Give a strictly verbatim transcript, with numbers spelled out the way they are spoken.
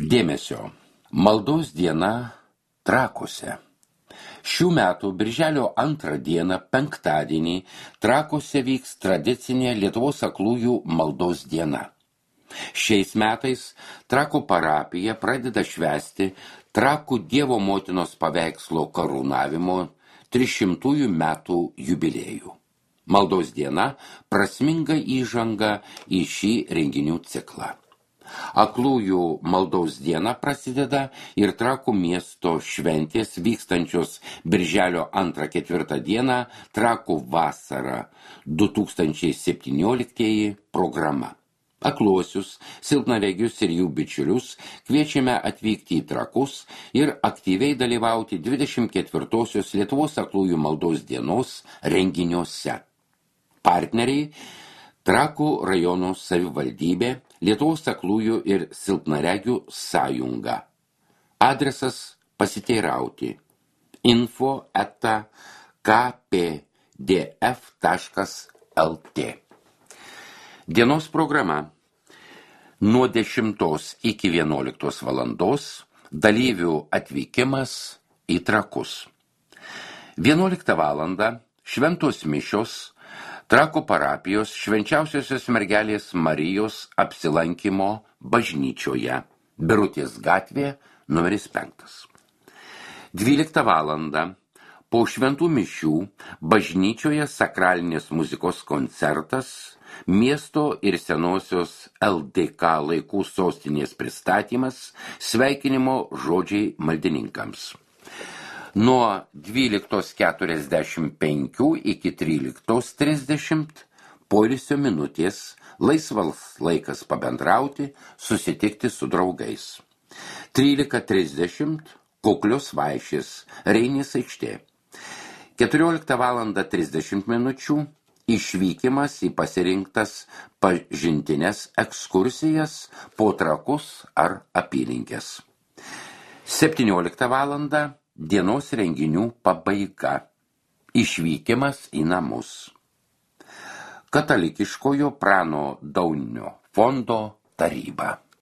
Dėmesio. Maldos diena Trakuose. Šių metų birželio antrą dieną, penktadienį, Trakuose vyks tradicinė Lietuvos aklųjų maldos diena. Šiais metais Trakų parapija pradeda švęsti Trakų Dievo motinos paveikslo karūnavimo trišimtųjų metų jubiliejų. Maldos diena prasminga įžanga į šį renginių ciklą. Aklųjų maldos diena prasideda ir Trakų miesto šventės vykstančios birželio antrą ketvirtą dieną Trakų vasara du tūkstančiai septynioliktieji programa. Akluosius, silpnaregius ir jų bičiulius kviečiame atvykti į Trakus ir aktyviai dalyvauti dvidešimt ketvirtosios Lietuvos aklųjų maldos dienos renginiuose. Partneriai Trakų rajono savivaldybė, Lietuvos aklųjų ir silpnaregių sąjunga. Adresas pasiteirauti info eta ka pe de ef taškas el te. Dienos programa. Nuo dešimtos iki vienuoliktos valandos dalyvių atvykimas į Trakus. vienuoliktą valandą šventos mišios Trakų parapijos švenčiausiosios mergelės Marijos apsilankymo bažnyčioje, Birutės gatvė, numeris penktas. dvyliktą valandą po šventų mišių bažnyčioje sakralinės muzikos koncertas, miesto ir senosios el de ka laikų sostinės pristatymas, sveikinimo žodžiai maldininkams. Nuo dvyliktos keturiasdešimt penkių iki tryliktos trisdešimt poilsio minutės, laisvas laikas pabendrauti, susitikti su draugais. trylika trisdešimt kuklios vaišės, Reinės aikštė. keturioliktą valandą trisdešimt minučių išvykimas į pasirinktas pažintines ekskursijas po Trakus ar apylinkes. septynioliktą valandą dienos renginių pabaiga. Išvykimas į namus. Katalikiškojo Prano Daunio fondo taryba.